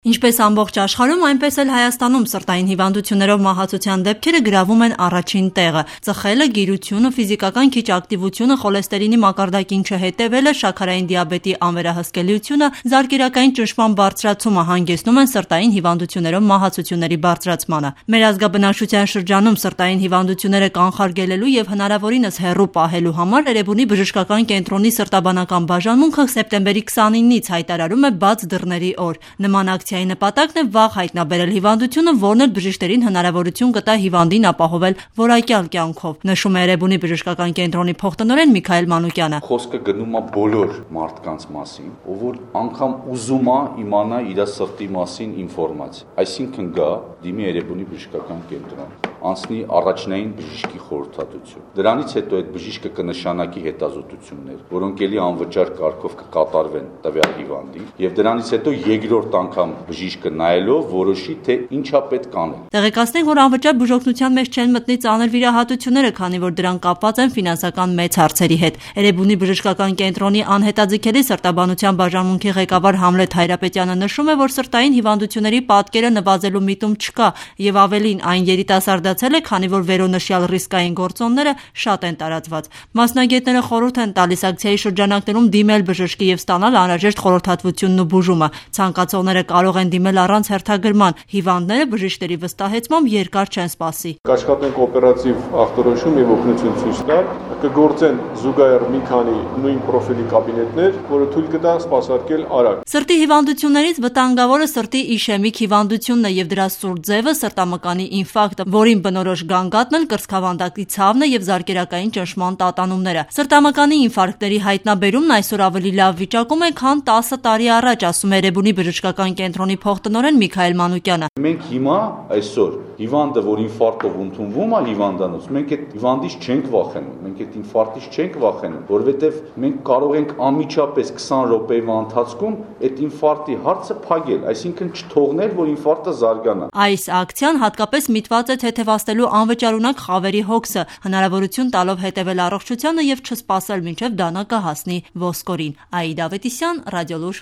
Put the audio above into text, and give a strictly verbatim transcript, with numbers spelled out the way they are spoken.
Ինչպես ամբողջ աշխարհում, այնպես էլ Հայաստանում սրտային հիվանդություններով մահացության դեպքերը գրավում են առաջին տեղը։ Ծխելը, գիրությունը, ֆիզիկական քիչ ակտիվությունը, խոլեստերինի մակարդակին չհետևելը, շաքարային դիաբետի անվերահսկելիությունը, զարկերակային ճնշման բարձրացումը հանգեցնում են սրտային հիվանդություններով մահացությունների բարձրացմանը։ Մեր ազգաբնակչության շրջանում սրտային հիվանդությունները կանխարգելելու եւ հնարավորինս հեռու պահելու համար Էրեբունի բժշկական կենտրոնի սրտաբանական բաժանմունքը սեպտեմբերի քսանինից հայտարարում է բաց դռների օր։ Նման ակցիայի նպատակն է վաղ հայտնաբերել հիվանդությունը, որն էլ բժիշկներին հնարավորություն կտա հիվանդին ապահովել որակյալ կյանքով, նշում է Էրեբունի բժշկական կենտրոնի փոխտնօրեն Միքայել Մանուկյանը։ Խոսքը գնում է բոլոր մարդկանց մասին, ով որ անգամ ուզում է իմանա իր սրտի մասին ինֆորմացիա, այսինքն գա դիմի Էրեբունի բժշկական կենտրոն, անցնի առաջնային բժշկի խորհրդատվություն։ Դրանից հետո այդ բժիշկը կնշանակի հետազոտություններ, որոնք ելի անվճար կարգով կկատարվեն տվյալ հիվանդին, եւ դրանից հետո երկրորդ անգամ բժիշկը նայելով որոշի թե ինչա պետք անել։ Տեղեկացնենք, որ անվճար բուժօգնության մեջ չեն մտնի ծանր վիրահատությունները, քանի որ դրանք կապված են ֆինանսական մեծ հարցերի հետ։ Էրեբունի բժշկական կենտրոնի անհետաձգելի սրտաբանության բաժանմունքի ղեկավար Համլետ Հայրապետյանը նշում է, որ սրտային հիվանդությունների պատկերը նվազելու միտում չկա եւ ավելին այն երիտասարդացել է, քանի որ վերոնշյալ ռիսկային գործոնները շատ են տարածված։ Մասնագետները խորհուրդ են տալիս ակցիայի շրջանակներում դիմել բժշկի եւ ստանալ անհրաժեշտ խորհրդատվությունն ու բուժումը։ Ցանկացողները կարող են դիմել առանց հերթագրման։ Հիվանդները բժիշկների վստահեցմամբ երկար չեն սպասի։ Կաշխատենք օպերատիվ ախտորոշում եւ օգնություն ցույց տալ, կգործեն զուգահեռ մի քանի նույն պրոֆիլի կաբինետներ, որը թույլ կտա սպասարկել արագ։ Սրտի հիվանդություններից վտանգավորը սրտի իշեմիկ հիվանդությունն է եւ դրա սուր ձևը սրտամկանի ինֆարկտը, որին բնորոշ գանգատն էլ կրծքավանդակի ցավն է եւ զարկերակային ճնշման տատանումները։ Սրտամկանի ինֆարկտների հայտնաբերումն այսօր ավելի լավ վիճակում է, քան տասը տարի առաջ, ասում է Էրեբունի բժշկական կենտրոնի փոխտնօրեն Միքայել Մանուկյանը։ Մենք հիմա այսօր հիվանդը, որ ինֆարկտով ընդունվում է հիվանդանոց, մենք այդ հիվանդից չենք վախենում, մենք այդ ինֆարկտից չենք վախենում, որովհետեւ մենք կարող ենք անմիջապես քսան րոպեվա ընթացքում այդ ինֆարկտի հարցը փակել, այսինքն չթողնել, որ ինֆարկտը զարգանա։ Այս ակցիան հատկապես միտված է թեթևացնելու անվճարունակ խավերի հոգսը, հնարավորություն տալով հետևել առողջությանը եւ չսպասել մինչեւ դանակը հասնի ոսկորին։ Աիդա Ավետիսյան, Ռադիոլուր։